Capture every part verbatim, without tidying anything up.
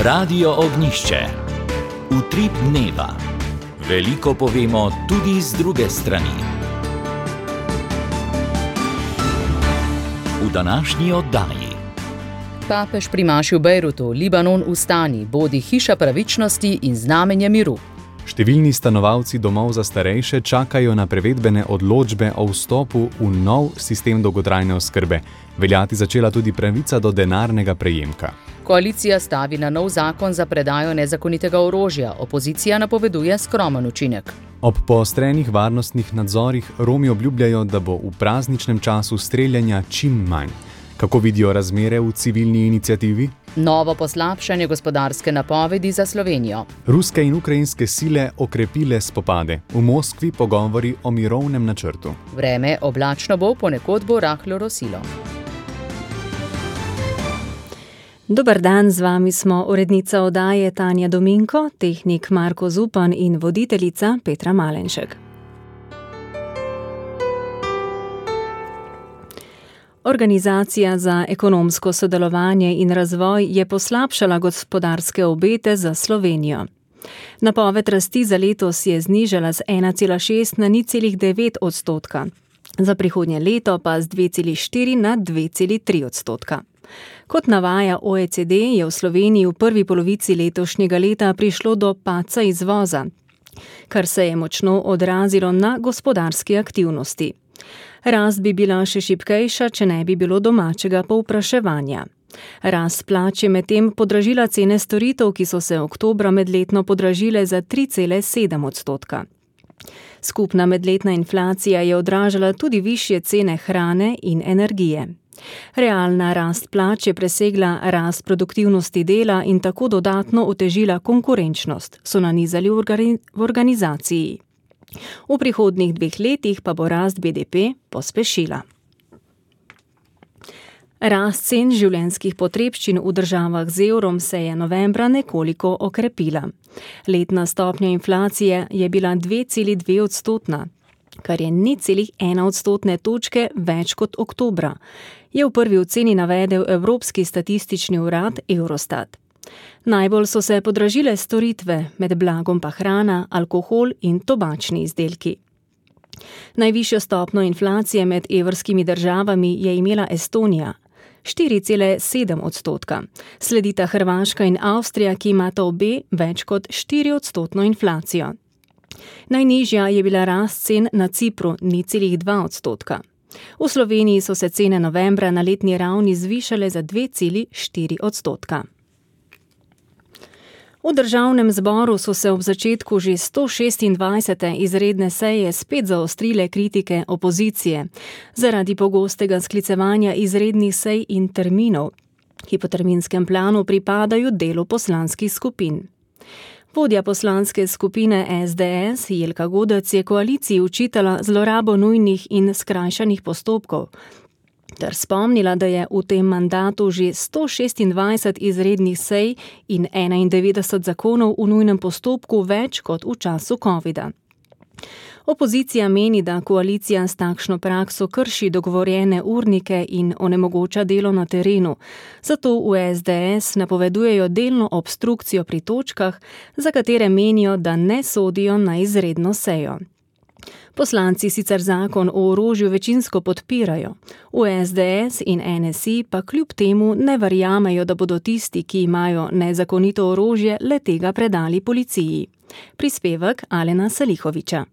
Radio Ognjišče. Utrip dneva. Veliko povemo tudi z druge strani. V današnji oddaji. Papež primaši v Bejrutu, Libanon vstani, bodi hiša pravičnosti in znamenje miru. Številni stanovalci domov za starejše čakajo na prevedbene odločbe o vstopu v nov sistem dolgotrajne oskrbe. Veljati začela tudi pravica do denarnega prejemka. Koalicija stavi na nov zakon za predajo nezakonitega orožja. Opozicija napoveduje skromen učinek. Ob poostrenih varnostnih nadzorih Romi obljubljajo, da bo v prazničnem času streljanja čim manj. Kako vidijo razmere v civilni iniciativi? Novo poslabšanje gospodarske napovedi za Slovenijo. Ruske in ukrajinske sile okrepile spopade. V Moskvi pogovori o mirovnem načrtu. Vreme oblačno bo, ponekod bo rahlo rosilo. Dober dan, z vami smo urednica oddaje Tanja Dominko, tehnik Marko Zupan in voditeljica Petra Malenšek. Organizacija za ekonomsko sodelovanje in razvoj je poslabšala gospodarske obete za Slovenijo. Napoved rasti za letos je znižala z ena cela šest na nič cela devet odstotka, za prihodnje leto pa z dve cela štiri na dve cela tri odstotka. Kot navaja O E C D, je v Sloveniji v prvi polovici letošnjega leta prišlo do padca izvoza, kar se je močno odrazilo na gospodarski aktivnosti. Rast bi bila še šibkejša, če ne bi bilo domačega povpraševanja. Rast plač je medtem podražila cene storitev, ki so se oktobra medletno podražile za tri cela sedem odstotka. Skupna medletna inflacija je odražala tudi višje cene hrane in energije. Realna rast plač je presegla rast produktivnosti dela in tako dodatno otežila konkurenčnost, so nanizali v organizaciji. V prihodnjih dveh letih pa bo rast B D P pospešila. Rast cen življenjskih potrebščin v državah z evrom se je novembra nekoliko okrepila. Letna stopnja inflacije je bila dve cela dve odstotna, kar je nič cela ena odstotne točke več kot oktobra, je v prvi oceni navedel Evropski statistični urad Eurostat. Najbolj so se podražile storitve, med blagom pa hrana, alkohol in tobačni izdelki. Najvišjo stopnjo inflacije med evrskimi državami je imela Estonija, štiri cela sedem odstotka. Sledita Hrvaška in Avstrija, ki imata obe več kot štiri odstotno inflacijo. Najnižja je bila rast cen na Cipru, nič cela dva odstotka. V Sloveniji so se cene novembra na letni ravni zvišale za dve cela štiri odstotka. V državnem zboru so se ob začetku že sto šestindvajsete izredne seje spet zaostrile kritike opozicije zaradi pogostega sklicevanja izrednih sej in terminov, ki po terminskem planu pripadajo delu poslanskih skupin. Vodja poslanske skupine S D S Jelka Godec je koaliciji učitala zlorabo nujnih in skrajšanih postopkov, ter spomnila, da je v tem mandatu že sto šestindvajset izrednih sej in enaindevetdeset zakonov v nujnem postopku več kot v času covida. Opozicija meni, da koalicija s takšno prakso krši dogovorjene urnike in onemogoča delo na terenu, zato v S D S napovedujejo delno obstrukcijo pri točkah, za katere menijo, da ne sodijo na izredno sejo. Poslanci sicer zakon o orožju večinsko podpirajo, v S D S in N S I pa kljub temu ne verjamejo, da bodo tisti, ki imajo nezakonito orožje, le tega predali policiji. Prispevek Alena Salihoviča.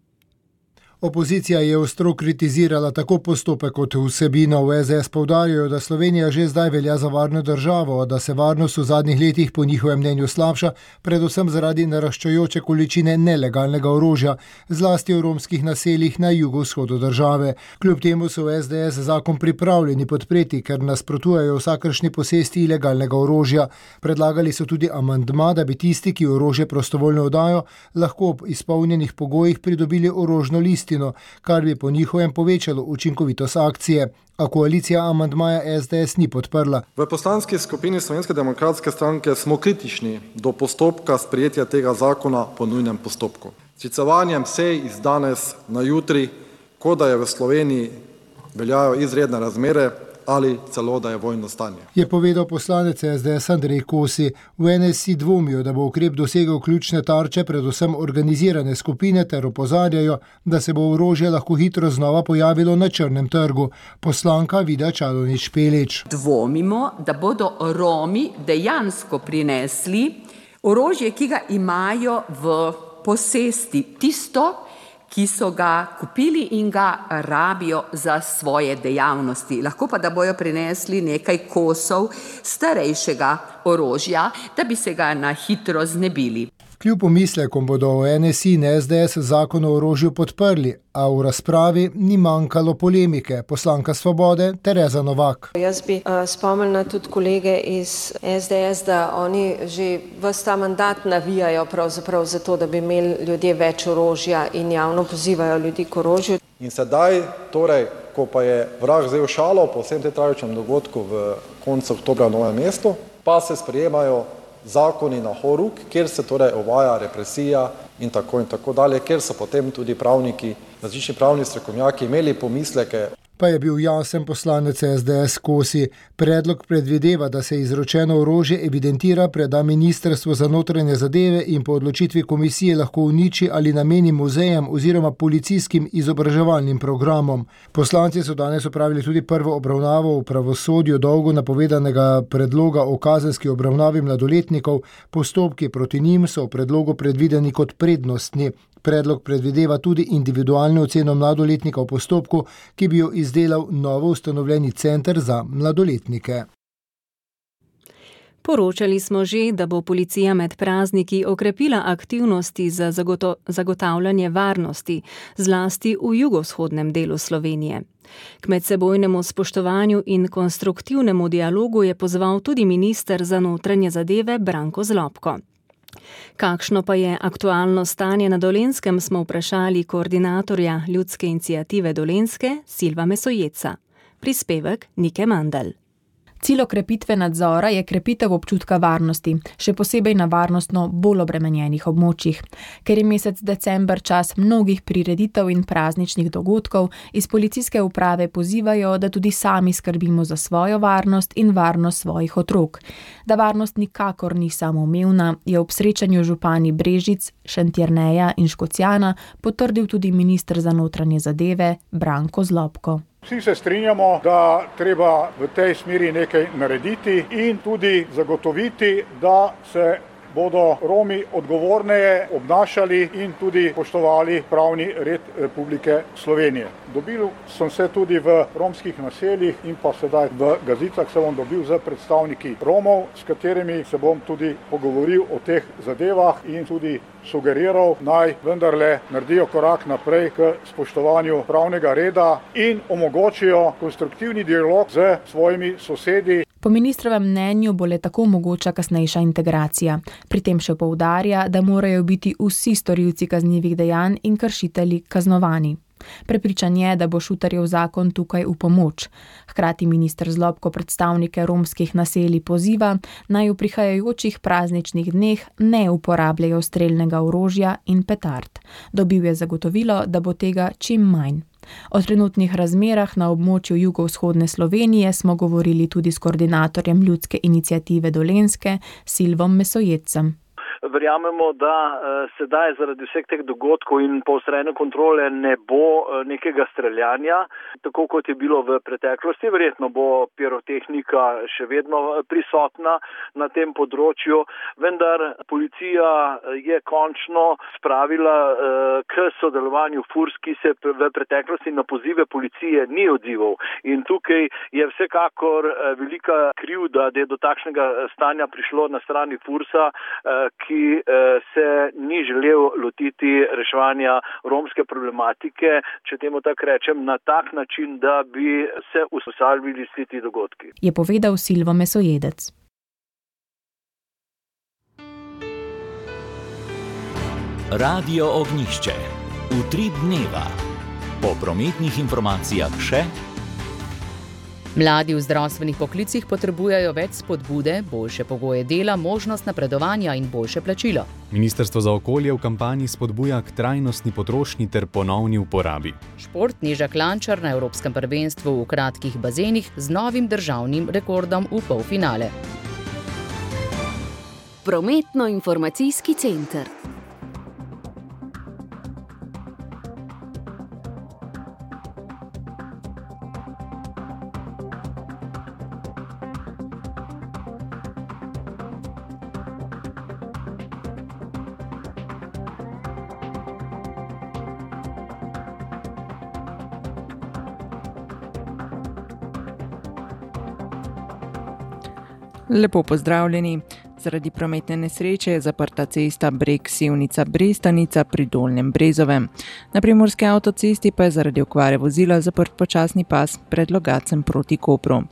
Opozicija je ostro kritizirala tako postopek kot vsebino. V S D S poudarjajo, da Slovenija že zdaj velja za varno državo, da se varnost v zadnjih letih po njihovem mnenju slabša, predvsem zaradi naraščajoče količine nelegalnega orožja, zlasti v romskih naseljih na jugovzhodu države. Kljub temu so v S D S zakon pripravljeni podpreti, ker nasprotujejo vsakršni posesti ilegalnega orožja. Predlagali so tudi amandma, da bi tisti, ki orožje prostovoljno oddajo, lahko ob izpolnjenih pogojih pridobili orožno listino, kar bi po njihovem povečalo učinkovitost akcije. A koalicija amandmaja S D S ni podprla. V poslanski skupini Slovenske demokratske stranke smo kritični do postopka sprejetja tega zakona po nujnem postopku. S sklicevanjem sej iz danes na jutri, kot da je v Sloveniji veljajo izredne razmere, ali celo, da je vojno stanje. Je povedal poslanec es de es Andrej Kosi. V en es i dvomijo, da bo ukrep dosegel ključne tarče, predvsem organizirane skupine, ter opozarjajo, da se bo orožje lahko hitro znova pojavilo na črnem trgu. Poslanka Vida Čadonič Špelič. Dvomimo, da bodo Romi dejansko prinesli orožje, ki ga imajo v posesti, tisto, ki so ga kupili in ga rabijo za svoje dejavnosti. Lahko pa, da bojo prinesli nekaj kosov starejšega orožja, da bi se ga na hitro znebili. Kljub pomislekom bodo v en es i in es de es zakon o orožju podprli, a v razpravi ni manjkalo polemike. Poslanka Svobode Tereza Novak. Jaz bi uh, spomnila tudi kolege iz es de es, da oni že ves ta mandat navijajo pravzaprav za to, da bi imeli ljudje več orožja in javno pozivajo ljudi k orožju. In sedaj, torej, ko pa je vrag vzel šalo po vsem tem tragičnem dogodku v koncu oktobra v Novem mestu, pa se sprejemajo zakoni na horuk, kjer se torej uvaja represija in tako in tako dalje, kjer so potem tudi pravniki, različni pravni strokovnjaki imeli pomisleke. Pa je bil jasen poslanec es de es Kosi. Predlog predvideva, da se izročeno orožje evidentira, preda Ministrstvo za notranje zadeve in po odločitvi komisije lahko uniči ali nameni muzejem oziroma policijskim izobraževalnim programom. Poslanci so danes opravili tudi prvo obravnavo v pravosodju dolgo napovedanega predloga o kazenski obravnavi mladoletnikov. Postopki proti njim so v predlogu predvideni kot prednostni. Predlog predvideva tudi individualno oceno mladoletnika v postopku, ki bi jo izdelal novo ustanovljeni center za mladoletnike. Poročali smo že, da bo policija med prazniki okrepila aktivnosti za zagoto- zagotavljanje varnosti, zlasti v jugovzhodnem delu Slovenije. K medsebojnemu spoštovanju in konstruktivnemu dialogu je pozval tudi minister za notranje zadeve Branko Zlobko. Kakšno pa je aktualno stanje na Dolenjskem, smo vprašali koordinatorja Ljudske iniciative Dolenjske Silva Mesojeca. Prispevek Nike Mandl. Cilj okrepitve nadzora je krepitev občutka varnosti, še posebej na varnostno bolj obremenjenih območjih. Ker je mesec december čas mnogih prireditev in prazničnih dogodkov, iz policijske uprave pozivajo, da tudi sami skrbimo za svojo varnost in varnost svojih otrok. Da varnost nikakor ni samoumevna, je ob srečanju župani Brežic, Šentjerneja in Škocjana potrdil tudi minister za notranje zadeve Branko Zlobko. Vsi se strinjamo, da treba v tej smeri nekaj narediti in tudi zagotoviti, da se bodo Romi odgovorneje obnašali in tudi poštovali pravni red Republike Slovenije. Dobil sem se tudi v romskih naseljih in pa sedaj v Gazicah se bom dobil z predstavniki Romov, s katerimi se bom tudi pogovoril o teh zadevah in tudi sugeriral, naj vendarle naredijo korak naprej k spoštovanju pravnega reda in omogočijo konstruktivni dialog z svojimi sosedi. Po ministrovem mnenju bo le tako mogoča kasnejša integracija. Pri tem še poudarja, da morajo biti vsi storilci kaznivih dejanj in kršitelji kaznovani. Prepričan je, da bo Šutarjev zakon tukaj v pomoč. Hkrati minister Zlobko predstavnike romskih naselij poziva, naj v prihajajočih prazničnih dneh ne uporabljajo strelnega orožja in petard. Dobil je zagotovilo, da bo tega čim manj. O trenutnih razmerah na območju jugovzhodne Slovenije smo govorili tudi s koordinatorjem Ljudske iniciative Dolenjske Silvom Mesojecem. Verjamemo, da uh, sedaj zaradi vseh teh dogodkov in poostrene kontrole ne bo uh, nekega streljanja, tako kot je bilo v preteklosti. Verjetno bo pirotehnika še vedno prisotna na tem področju, vendar policija je končno spravila uh, k sodelovanju Furs, ki se v preteklosti na pozive policije ni odzival. In tukaj je vsekakor uh, velika krivda, da je do takšnega stanja prišlo na strani Fursa, uh, ki ki se ni želel lotiti reševanja romske problematike, če temu tako rečem, na tak način, da bi se ustavili vsi ti dogodki. Je povedal Silvo Mesojedec. Radio Ognjišče. Utrip dneva. Po prometnih informacijah še Mladi v zdravstvenih poklicih potrebujejo več spodbude, boljše pogoje dela, možnost napredovanja in boljše plačilo. Ministrstvo za okolje v kampanji spodbuja k trajnostni potrošnji ter ponovni uporabi. Šport Neža Klančar na Evropskem prvenstvu v kratkih bazenih z novim državnim rekordom v polfinale. Prometno-informacijski center. Lepo pozdravljeni. Zaradi prometne nesreče je zaprta cesta Breg-Sevnica-Brestanica pri Dolnjem Brezovem. Na primorski avtocesti pa je zaradi okvare vozila zaprt počasni pas pred Logatcem proti Kopru.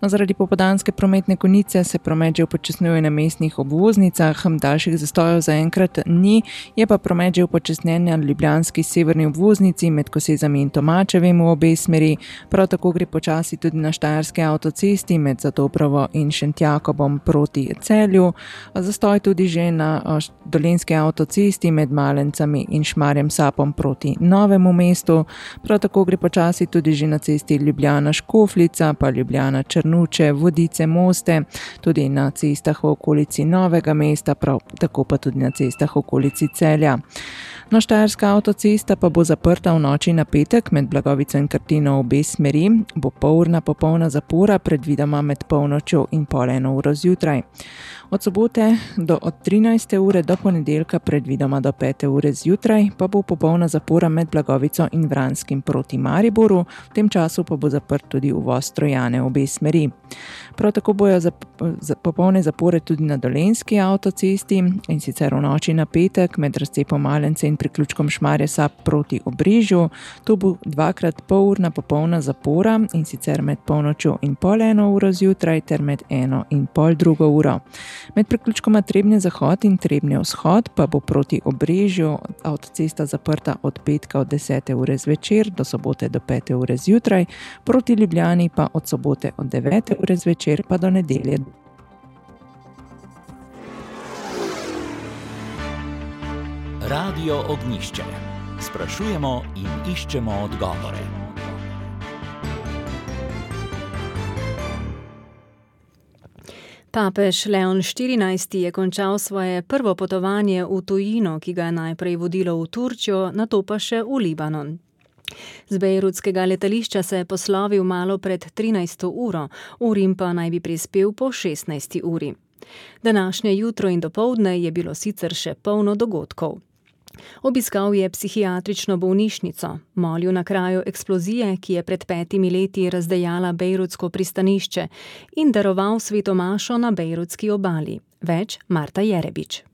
No, zaradi popoldanske prometne konice se promet že upočasnjuje na mestnih obvoznicah, daljših zastojev zaenkrat ni, je pa promet že upočasnjen na ljubljanski severni obvoznici med Kosezami in Tomačevim v obe smeri. Prav tako gre počasi tudi na štajerski avtocesti med Zatoprovo in Šentjakobom proti Celju. Zastoj tudi že na dolenjski avtocesti med Malencami in Šmarjem Sapom proti Novemu mestu. Prav tako gre počasi tudi že na cesti Ljubljana-Škofljica, pa Ljubljana-Črnuče, Vodice-Moste, tudi na cestah v okolici Novega mesta, prav tako pa tudi na cestah v okolici Celja. No, štajerska avtocesta pa bo zaprta v noči na petek med Blagovico in Krtino v obe smeri, bo polurna popolna zapora predvidoma med polnočjo in pol eno uro zjutraj. Od sobote do od trinajste ure do ponedeljka predvidoma do pete ure zjutraj pa bo popolna zapora med Blagovico in Vranskim proti Mariboru, v tem času pa bo zaprt tudi uvoz Trojane v obe smeri. Prav tako bojo zap, zap, popolne zapore tudi na dolenjski avtocesti in sicer v noči na petek med razcepom Malence in priključkom Šmarje Sap proti Obrežju. Tu bo dvakrat polurna popolna zapora in sicer med polnočjo in pol eno uro zjutraj ter med eno in pol drugo uro. Med priključkoma Trebnje zahod in Trebnje vzhod pa bo proti Obrežju avtocesta zaprta od petka od desete ure zvečer do sobote do pete ure zjutraj, proti Ljubljani pa od sobote od devete ure zvečer pa do nedelje. Radio Ognjišče. Sprašujemo in iščemo odgovore. Papež Leon štirinajsti je končal svoje prvo potovanje v tujino, ki ga je najprej vodilo v Turčijo, nato pa še v Libanon. Z bejrutskega letališča se je poslovil malo pred trinajsto uro, v Rim pa naj bi prispel po šestnajsti uri. Današnje jutro in dopoldne je bilo sicer še polno dogodkov. Obiskal je psihiatrično bolnišnico, molil na kraju eksplozije, ki je pred petimi leti razdejala bejrutsko pristanišče, in daroval svetomašo na bejrutski obali. Več Marta Jerebič.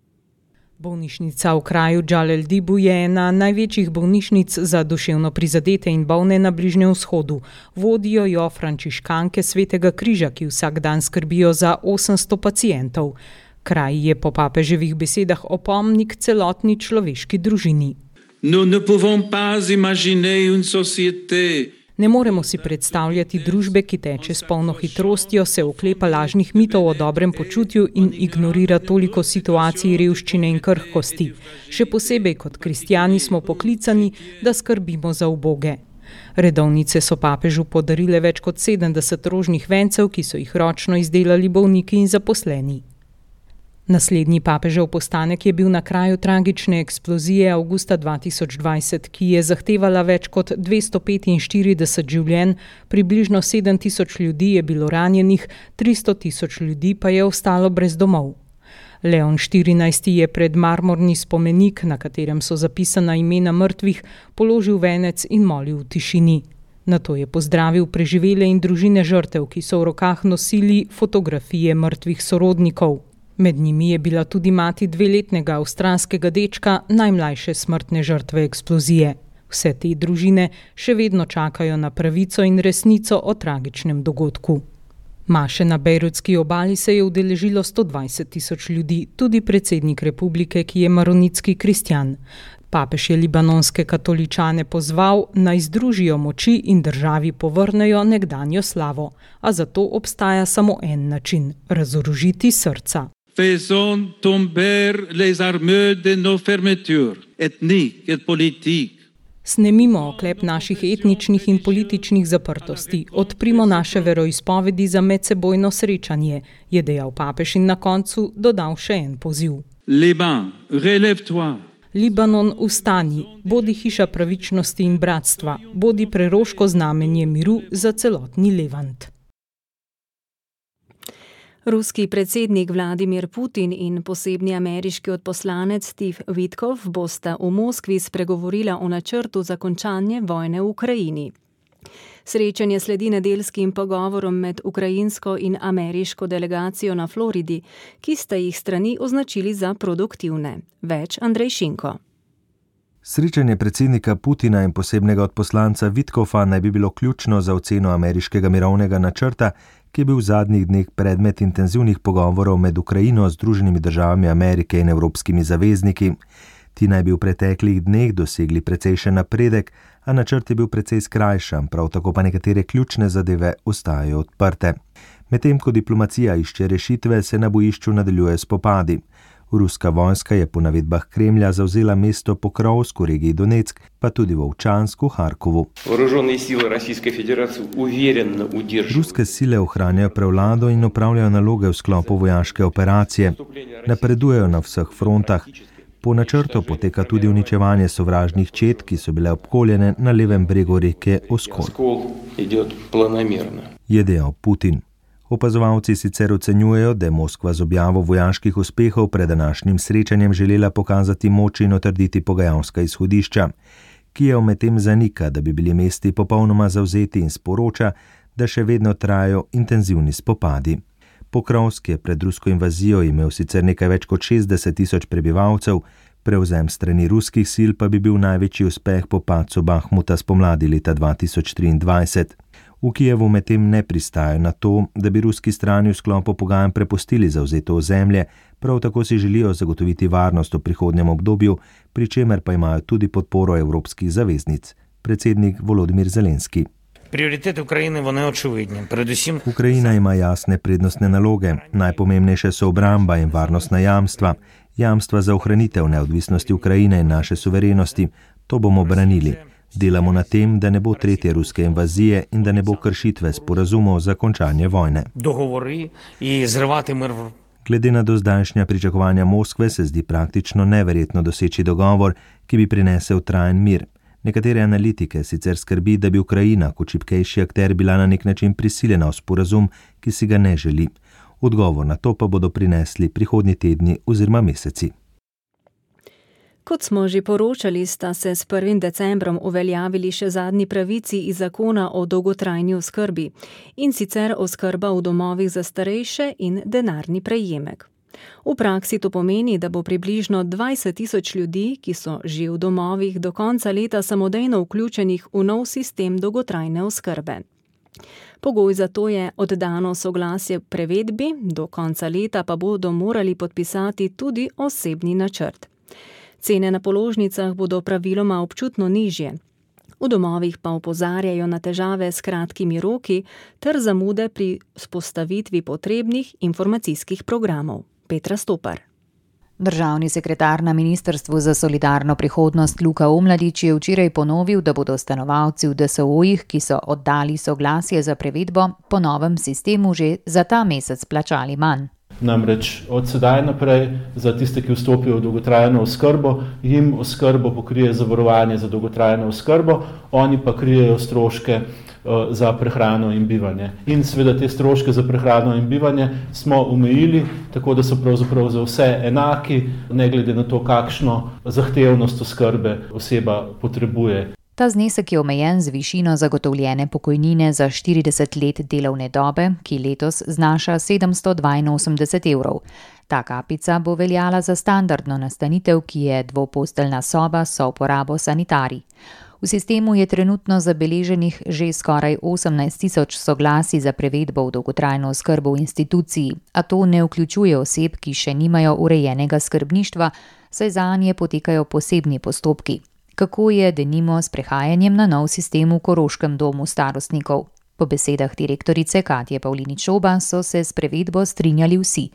Bolnišnica v kraju Džal el-Dibu je ena največjih bolnišnic za duševno prizadete in bolne na Bližnjem vzhodu. Vodijo jo frančiškanke Svetega križa, ki vsak dan skrbijo za osemsto pacientov. Kraj je po papeževih besedah opomnik celotni človeški družini. Ne moremo si predstavljati družbe, ki teče s polno hitrostjo, se oklepa lažnih mitov o dobrem počutju in ignorira toliko situacij revščine in krhkosti. Še posebej kot kristjani smo poklicani, da skrbimo za uboge. Redovnice so papežu podarile več kot sedemdeset rožnih vencev, ki so jih ročno izdelali bolniki in zaposleni. Naslednji papežev postanek je bil na kraju tragične eksplozije avgusta dva tisoč dvajset, ki je zahtevala več kot dvesto petinštirideset življenj, približno sedem tisoč ljudi je bilo ranjenih, tristo tisoč ljudi pa je ostalo brez domov. Leon štirinajsti je pred marmorni spomenik, na katerem so zapisana imena mrtvih, položil venec in molil v tišini. Nato je pozdravil preživele in družine žrtev, ki so v rokah nosili fotografije mrtvih sorodnikov. Med njimi je bila tudi mati dveletnega avstralskega dečka, najmlajše smrtne žrtve eksplozije. Vse te družine še vedno čakajo na pravico in resnico o tragičnem dogodku. Maše na bejrutski obali se je udeležilo sto dvajset tisoč ljudi, tudi predsednik republike, ki je maronitski kristjan. Papež je libanonske katoličane pozval, naj združijo moči in državi povrnejo nekdanjo slavo, a zato obstaja samo en način – razorožiti srca. Faisons tomber les armes de nos fermetures, ethniques et politiques. Snemimo oklep naših etničnih in političnih zaprtosti, odprimo naše veroizpovedi za medsebojno srečanje, je dejal papež in na koncu dodal še en poziv. Liban, relève-toi. Libanon, vstani, bodi hiša pravičnosti in bratstva, bodi preroško znamenje miru za celotni Levant. Ruski predsednik Vladimir Putin in posebni ameriški odposlanec Steve Witkoff bosta v Moskvi spregovorila o načrtu za končanje vojne v Ukrajini. Srečanje sledi nedeljskim pogovorom med ukrajinsko in ameriško delegacijo na Floridi, ki sta jih strani označili za produktivne. Več Andrej Šinko. Srečanje predsednika Putina in posebnega odposlanca Witkoffa naj bi bilo ključno za oceno ameriškega mirovnega načrta, ki je bil v zadnjih dneh predmet intenzivnih pogovorov med Ukrajino, Združenimi državami Amerike in evropskimi zavezniki. Ti naj bi v preteklih dneh dosegli precejšen napredek, a načrt je bil precej skrajšan, prav tako pa nekatere ključne zadeve ostajajo odprte. Medtem ko diplomacija išče rešitve, se na bojišču nadaljuje spopadi. Ruska vojska je po navedbah Kremlja zavzela mesto Pokrovsk v regiji Donetsk, pa tudi v Ovčansku, Harkovu. Ruske sile ohranjajo prevlado in opravljajo naloge v sklopu vojaške operacije. Napredujejo na vseh frontah. Po načrtu poteka tudi uničevanje sovražnih čet, ki so bile obkoljene na levem bregu reke Oskol. Je dejal Putin. Opazovalci sicer ocenjujejo, da je Moskva z objavo vojaških uspehov pred današnjim srečanjem želela pokazati moč in utrditi pogajalska izhodišča. Kijev medtem zanika, da bi bili mesti popolnoma zavzeti in sporoča, da še vedno trajajo intenzivni spopadi. Pokrovsk je pred rusko invazijo imel sicer nekaj več kot šestdeset tisoč prebivalcev, prevzem strani ruskih sil pa bi bil največji uspeh po padcu Bahmuta spomladi leta dva tisoč triindvajset. V Kijevu medtem ne pristajajo na to, da bi ruski strani v sklopu pogajanj prepustili zavzeto ozemlje, prav tako si želijo zagotoviti varnost v prihodnjem obdobju, pri čemer pa imajo tudi podporo evropskih zaveznic. Predsednik Volodimir Zelenski. Prioritete Ukrajine bo neočevidni. Predvsem Ukrajina ima jasne prednostne naloge. Najpomembnejše so obramba in varnostna jamstva. Jamstva za ohranitev neodvisnosti Ukrajine in naše suverenosti. To bomo branili. Delamo na tem, da ne bo tretje ruske invazije in da ne bo kršitve sporazumov za končanje vojne. Dogovori in zrvati mir. Glede na dozdajšnja pričakovanja Moskve se zdi praktično neverjetno doseči dogovor, ki bi prinesel trajen mir. Nekatere analitike sicer skrbi, da bi Ukrajina kot šibkejši akter bila na nek način prisiljena v sporazum, ki si ga ne želi. Odgovor na to pa bodo prinesli prihodnji tedni oziroma meseci. Kot smo že poročali, sta se s prvim decembrom uveljavili še zadnji pravici iz zakona o dolgotrajni oskrbi, in sicer oskrba v domovih za starejše in denarni prejemek. V praksi to pomeni, da bo približno dvajset tisoč ljudi, ki so že v domovih, do konca leta samodejno vključenih v nov sistem dolgotrajne oskrbe. Pogoj za to je oddano soglasje prevedbi, do konca leta pa bodo morali podpisati tudi osebni načrt. Cene na položnicah bodo praviloma občutno nižje. V domovih pa opozarjajo na težave s kratkimi roki ter zamude pri vzpostavitvi potrebnih informacijskih programov. Petra Stopar. Državni sekretar na Ministrstvu za solidarno prihodnost Luka Omladič je včeraj ponovil, da bodo stanovalci v D S O-jih, ki so oddali soglasje za prevedbo, po novem sistemu že za ta mesec plačali manj. Namreč od sedaj naprej za tiste, ki vstopijo v dolgotrajno oskrbo, jim oskrbo pokrije zavarovanje za dolgotrajno oskrbo, oni pa krijejo stroške uh, za prehrano in bivanje. In seveda te stroške za prehrano in bivanje smo omejili, tako da so pravzaprav za vse enaki, ne glede na to, kakšno zahtevnost oskrbe oseba potrebuje. Ta znesek je omejen z višino zagotovljene pokojnine za štirideset let delovne dobe, ki letos znaša sedemsto dvainosemdeset evrov. Ta kapica bo veljala za standardno nastanitev, ki je dvoposteljna soba s uporabo sanitarij. V sistemu je trenutno zabeleženih že skoraj osemnajst tisoč soglasij za prevedbo v dolgotrajno oskrbo v instituciji, a to ne vključuje oseb, ki še nimajo urejenega skrbništva, saj zanje potekajo posebni postopki. Kako je denimo s prehajanjem na nov sistem v Koroškem domu starostnikov? Po besedah direktorice Katje Pavlinič-Šoba so se s prevedbo strinjali vsi.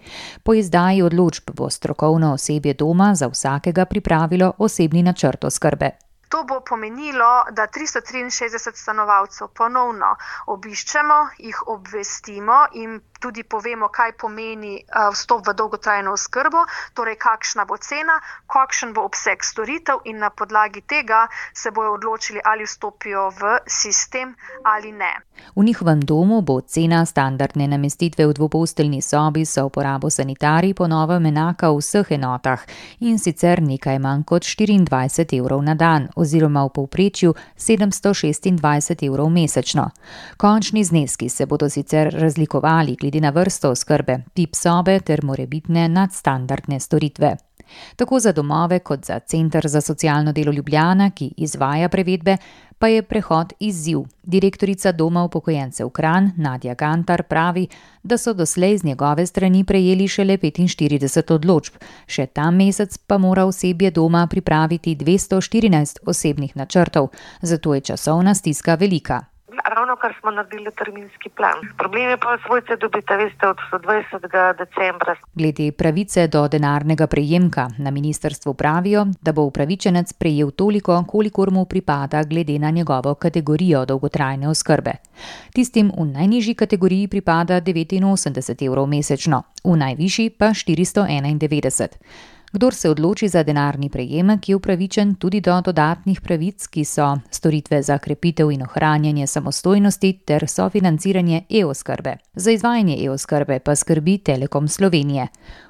Po izdaji odločb bo strokovno osebje doma za vsakega pripravilo osebni načrt oskrbe. To bo pomenilo, da tristo triinšestdeset stanovalcev ponovno obiščemo, jih obvestimo in tudi povemo, kaj pomeni vstop v dolgotrajno oskrbo, torej kakšna bo cena, kakšen bo obseg storitev in na podlagi tega se bojo odločili, ali vstopijo v sistem ali ne. V njihovem domu bo cena standardne namestitve v dvoposteljni sobi za uporabo sanitarij po novem enaka v vseh enotah in sicer nekaj manj kot štiriindvajset evrov na dan oziroma v povprečju sedemsto šestindvajset evrov mesečno. Končni zneski se bodo sicer razlikovali glede na vrsto oskrbe, tip sobe ter morebitne nadstandardne storitve. Tako za domove kot za Center za socialno delo Ljubljana, ki izvaja prevedbe, pa je prehod izziv. Direktorica Doma upokojencev Kranj, Nadja Gantar, pravi, da so doslej z njegove strani prejeli šele petinštirideset odločb. Še ta mesec pa mora osebje doma pripraviti dvesto štirinajst osebnih načrtov, zato je časovna stiska velika. Ravno kar smo naredili terminski plan. Problem je pa svojce dobite, veste, od dvajsetega decembra. Glede pravice do denarnega prejemka na ministrstvu pravijo, da bo upravičenec prejel toliko, kolikor mu pripada glede na njegovo kategorijo dolgotrajne oskrbe. Tistim v najnižji kategoriji pripada devetinosemdeset evrov mesečno, v najvišji pa štiristo enaindevetdeset. Kdor se odloči za denarni prejemek, je upravičen tudi do dodatnih pravic, ki so storitve za krepitev in ohranjanje samostojnosti ter sofinanciranje e-oskrbe. Za izvajanje e-oskrbe pa skrbi Telekom Slovenije.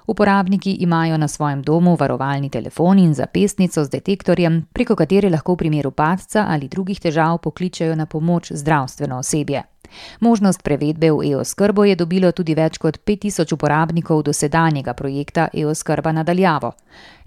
Uporabniki imajo na svojem domu varovalni telefon in zapestnico z detektorjem, preko katere lahko v primeru padca ali drugih težav pokličejo na pomoč zdravstveno osebje. Možnost prevedbe v e-oskrbo je dobilo tudi več kot pet tisoč uporabnikov dosedanjega projekta e-oskrba na daljavo.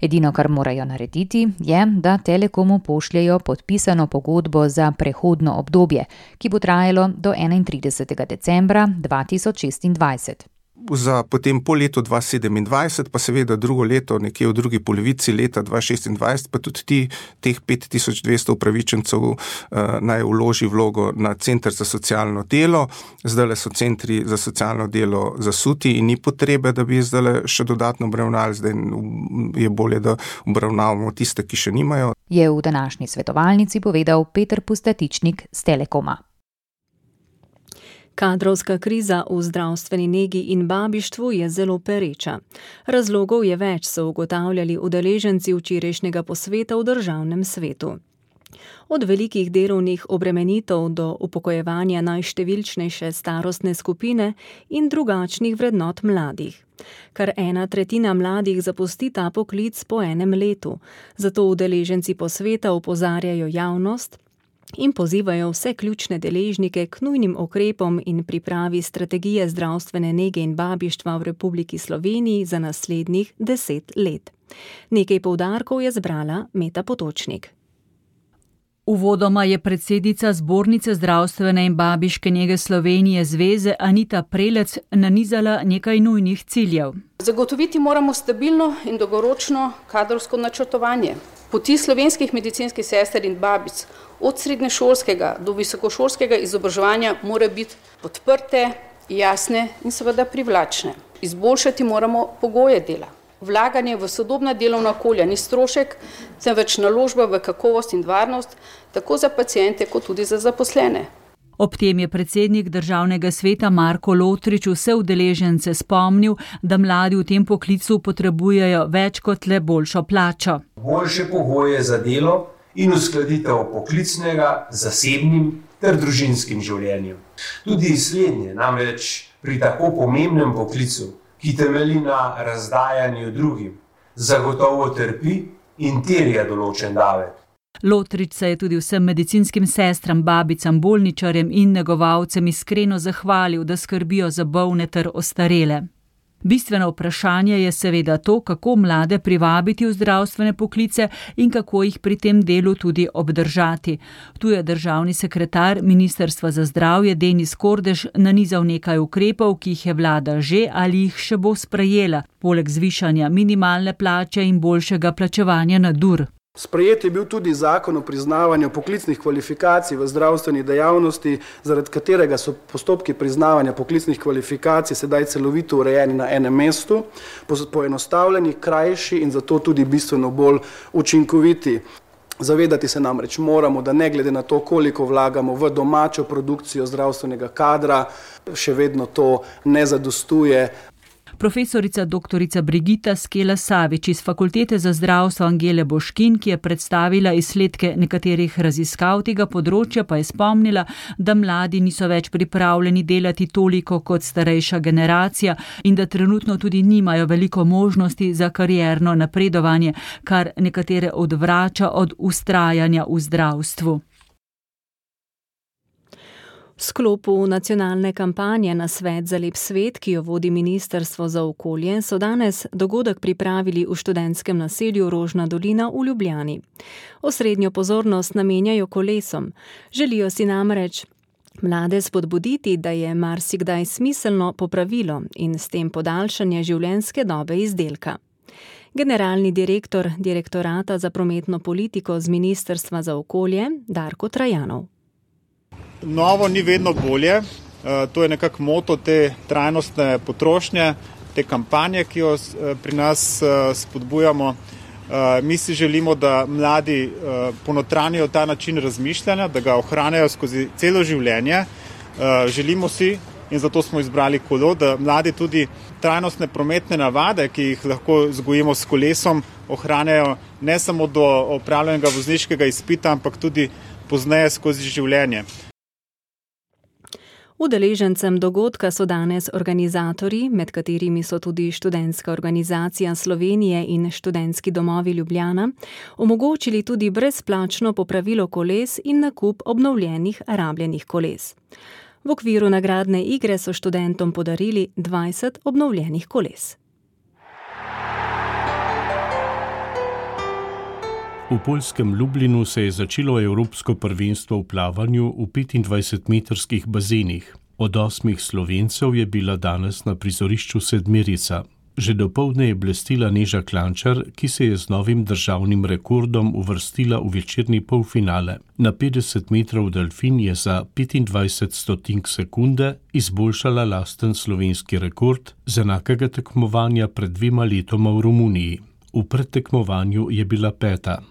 Edino, kar morajo narediti, je, da Telekomu pošljejo podpisano pogodbo za prehodno obdobje, ki bo trajalo do enaintridesetega decembra dva tisoč šestindvajset. Za potem po letu dva tisoč sedemindvajset, pa seveda drugo leto, nekje v drugi polovici leta dva tisoč šestindvajset, pa tudi ti, teh pet tisoč dvesto upravičencev uh, naj vloži vlogo na Center za socialno delo. Zdajle so centri za socialno delo zasuti in ni potrebe, da bi zdajle še dodatno obravnavali, zdaj je bolje, da obravnavamo tiste, ki še nimajo. Je v današnji svetovalnici povedal Peter Pustatičnik z Telekoma. Kadrovska kriza v zdravstveni negi in babištvu je zelo pereča. Razlogov je več, so ugotavljali udeleženci včerajšnjega posveta v državnem svetu. Od velikih delovnih obremenitev do upokojevanja najštevilčnejše starostne skupine in drugačnih vrednot mladih. Kar ena tretjina mladih zapusti ta poklic po enem letu, zato udeleženci posveta opozarjajo javnost in pozivajo vse ključne deležnike k nujnim ukrepom in pripravi strategije zdravstvene nege in babištva v Republiki Sloveniji za naslednjih deset let. Nekaj poudarkov je zbrala Meta Potočnik. Uvodoma je predsednica Zbornice zdravstvene in babiške nege Slovenije Zveze Anita Prelec nanizala nekaj nujnih ciljev. Zagotoviti moramo stabilno in dolgoročno kadrovsko načrtovanje. Poti slovenskih medicinskih sester in babic od srednješolskega do visokošolskega izobraževanja mora biti podprte, jasne in seveda privlačne. Izboljšati moramo pogoje dela. Vlaganje v sodobna delovna okolja ni strošek, temveč naložba v kakovost in varnost, tako za paciente kot tudi za zaposlene. Ob tem je predsednik državnega sveta Marko Lotrič vse udeležence spomnil, da mladi v tem poklicu potrebujejo več kot le boljšo plačo. Boljše pogoje za delo in uskladitev poklicnega, zasebnim ter družinskim življenjem. Tudi slednje, namreč pri tako pomembnem poklicu, ki temelji na razdajanju drugim, zagotovo trpi in terja določen davek. Lotrič se je tudi vsem medicinskim sestram, babicam, bolničarjem in negovalcem iskreno zahvalil, da skrbijo za bolne ter ostarele. Bistveno vprašanje je seveda to, kako mlade privabiti v zdravstvene poklice in kako jih pri tem delu tudi obdržati. Tu je državni sekretar Ministrstva za zdravje Denis Kordež nanizal nekaj ukrepov, ki jih je vlada že ali jih še bo sprejela, poleg zvišanja minimalne plače in boljšega plačevanja nadur. Sprejet je bil tudi zakon o priznavanju poklicnih kvalifikacij v zdravstveni dejavnosti, zaradi katerega so postopki priznavanja poklicnih kvalifikacij sedaj celovito urejeni na enem mestu, poenostavljeni, krajši in zato tudi bistveno bolj učinkoviti. Zavedati se namreč moramo, da ne glede na to, koliko vlagamo v domačo produkcijo zdravstvenega kadra, še vedno to ne zadostuje. Profesorica doktorica Brigita Skela Savič iz Fakultete za zdravstvo Angele Boškin, ki je predstavila izsledke nekaterih raziskav tega področja, pa je spomnila, da mladi niso več pripravljeni delati toliko kot starejša generacija in da trenutno tudi nimajo veliko možnosti za karierno napredovanje, kar nekatere odvrača od vztrajanja v zdravstvu. V sklopu nacionalne kampanje Na svet za lep svet, ki jo vodi Ministrstvo za okolje, so danes dogodek pripravili v študentskem naselju Rožna dolina v Ljubljani. Osrednjo pozornost namenjajo kolesom. Želijo si namreč mlade spodbuditi, da je marsikdaj smiselno popravilo in s tem podaljšanje življenjske dobe izdelka. Generalni direktor Direktorata za prometno politiko z Ministrstva za okolje Darko Trajanov. Novo ni vedno bolje, to je nekako moto te trajnostne potrošnje, te kampanje, ki jo pri nas spodbujamo. Mi si želimo, da mladi ponotranijo ta način razmišljanja, da ga ohranjajo skozi celo življenje. Želimo si, in zato smo izbrali kolo, da mladi tudi trajnostne prometne navade, ki jih lahko vzgojimo s kolesom, ohranjajo ne samo do opravljenega vozniškega izpita, ampak tudi pozneje skozi življenje. Udeležencem dogodka so danes organizatorji, med katerimi so tudi Študentska organizacija Slovenije in Študentski domovi Ljubljana, omogočili tudi brezplačno popravilo koles in nakup obnovljenih rabljenih koles. V okviru nagradne igre so študentom podarili dvajset obnovljenih koles. V poljskem Lublinu se je začelo evropsko prvenstvo v plavanju v petindvajsetmetrskih bazenih. Od osmih Slovencev je bila danes na prizorišču sedmerica. Že dopoldne je blestila Neža Klančar, ki se je z novim državnim rekordom uvrstila v večerni polfinale. Na petdeset metrov delfin je za petindvajset stotink sekunde izboljšala lasten slovenski rekord z enakega tekmovanja pred dvema letoma v Romuniji. V predtekmovanju je bila peta.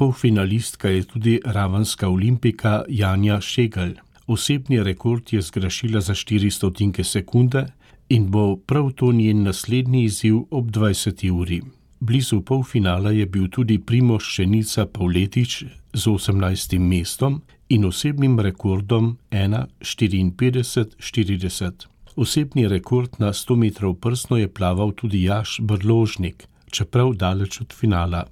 Polfinalistka je tudi ravenska olimpika Janja Šegelj. Osebni rekord je zgrešila za štiri stotinke sekunde in bo prav to njen naslednji izziv ob dvajseti uri. Blizu polfinala je bil tudi Primož Šenica Pavletič z osemnajstim mestom in osebnim rekordom ena štiriinpetdeset štirideset. Osebni rekord na sto metrov prsno je plaval tudi Jaš Brložnik, čeprav daleč od finala.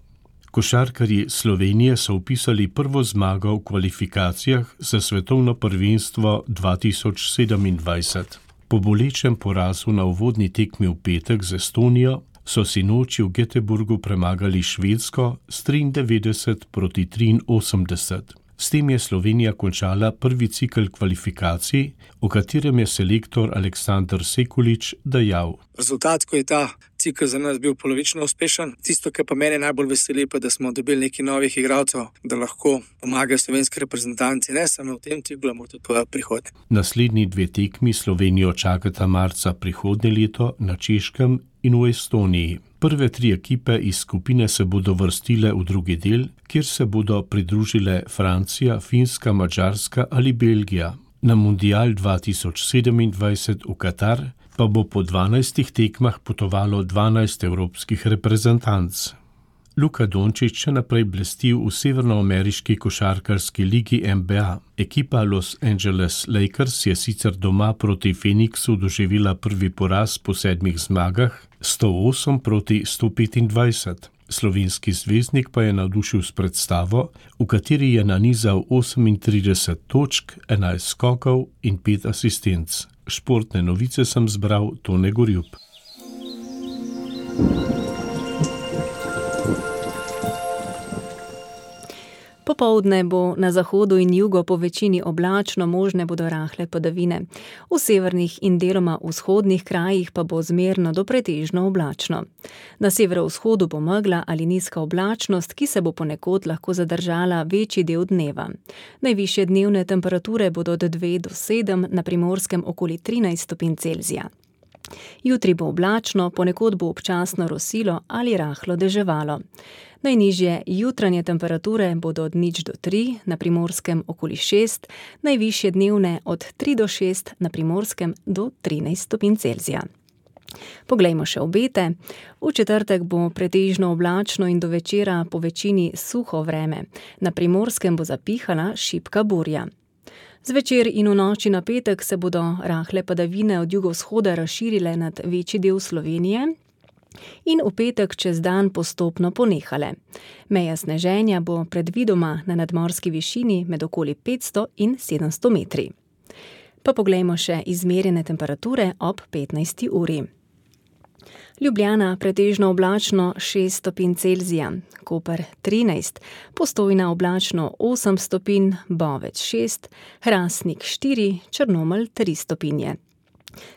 Košarkarji Slovenije so vpisali prvo zmago v kvalifikacijah za svetovno prvenstvo dva tisoč sedemindvajset. Po bolečem porazu na uvodni tekmi v petek z Estonijo so sinoči v Göteborgu premagali Švedsko s triindevetdeset proti triinosemdeset. S tem je Slovenija končala prvi cikel kvalifikacij, v katerem je selektor Aleksandar Sekulič dejal: Rezultat, ko je ta cikel za nas bil polovično uspešen, tisto, kar pa mene najbolj veseli, pa da smo dobili nekaj novih igralcev, da lahko pomagajo slovenski reprezentanci, ne samo v tem ciklu, ampak tudi v prihodnje. Naslednji dve tekmi Slovenijo čakata marca prihodnje leto na Češkem in v Estoniji. Prve tri ekipe iz skupine se bodo vrstile v drugi del, kjer se bodo pridružile Francija, Finska, Madžarska ali Belgija. Na Mundial dva tisoč sedemindvajset v Katar pa bo po dvanajstih tekmah potovalo dvanajst evropskih reprezentanc. Luka Dončić še naprej blesti v severnoameriški košarkarski ligi N B A. Ekipa Los Angeles Lakers je sicer doma proti Phoenixu doživela prvi poraz po sedmih zmagah, sto osem proti sto petindvajset. Slovenski zvezdnik pa je navdušil s predstavo, v kateri je nanizal osemintrideset točk, enajst skokov in pet asistenc. Športne novice sem zbral Tone Gorjup. Popoldne bo na zahodu in jugu po večini oblačno, možne bodo rahle padavine. V severnih in deloma vzhodnih krajih pa bo zmerno do pretežno oblačno. Na severovzhodu bo megla ali nizka oblačnost, ki se bo ponekod lahko zadržala večji del dneva. Najvišje dnevne temperature bodo od dve do sedem, na Primorskem okoli trinajst stopinj Celzija. Jutri bo oblačno, ponekod bo občasno rosilo ali rahlo deževalo. Najnižje jutranje temperature bodo od nič do tri, na Primorskem okoli šest, najvišje dnevne od tri do šest, na Primorskem do trinajst stopinj Celzija. Poglejmo še obete. V četrtek bo pretežno oblačno in do večera po večini suho vreme. Na Primorskem bo zapihala šibka burja. Zvečer in v noči na petek se bodo rahle padavine od jugovzhoda razširile nad večji del Slovenije in v petek čez dan postopno ponehale. Meja sneženja bo predvidoma na nadmorski višini med okoli petsto in sedemsto metri. Pa poglejmo še izmerjene temperature ob petnajsti uri. Ljubljana pretežno oblačno šest stopinj Celzija, Koper trinajst, Postojna oblačno osem stopinj, Bovec šest, Hrastnik štiri, Črnomelj tri stopinje.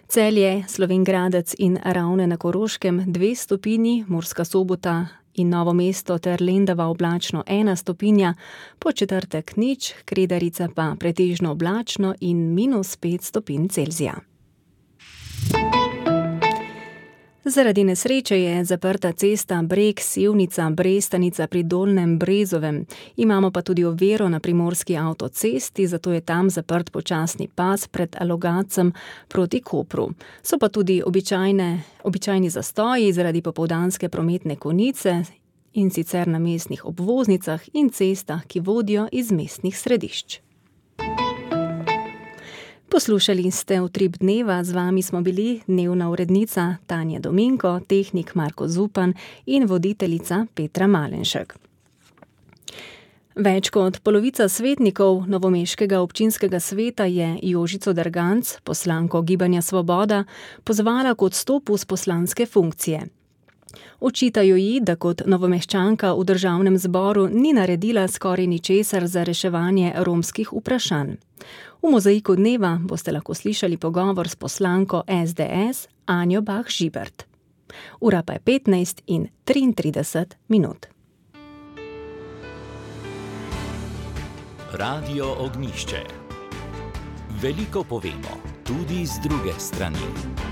Celje, Slovenj Gradec in Ravne na Koroškem dve stopinji, Murska Sobota in Novo mesto ter Lendava oblačno ena stopinja, po četrtek nič, Kredarica pa pretežno oblačno in minus pet stopinj Celzija. Zaradi nesreče je zaprta cesta Breg-Sevnica-Brestanica pri Dolnjem Brezovem. Imamo pa tudi oviro na primorski avtocesti, zato je tam zaprt počasni pas pred Logatcem proti Kopru. So pa tudi običajne, običajni zastoji zaradi popoldanske prometne konice in sicer na mestnih obvoznicah in cestah, ki vodijo iz mestnih središč. Poslušali ste Utrip dneva, z vami smo bili dnevna urednica Tanja Dominko, tehnik Marko Zupan in voditeljica Petra Malenšek. Več kot polovica svetnikov novomeškega občinskega sveta je Jožico Derganc, poslanko Gibanja Svoboda, pozvala k odstopu z poslanske funkcije. Očitajo ji, da kot novomeščanka v državnem zboru ni naredila skoraj ničesar za reševanje romskih vprašanj. V mozaiku dneva boste lahko slišali pogovor s poslanko es de es Anjo Bah Žibert. Ura pa je petnajst in triintrideset minut. Radio Ognjišče. Veliko povemo, tudi z druge strani.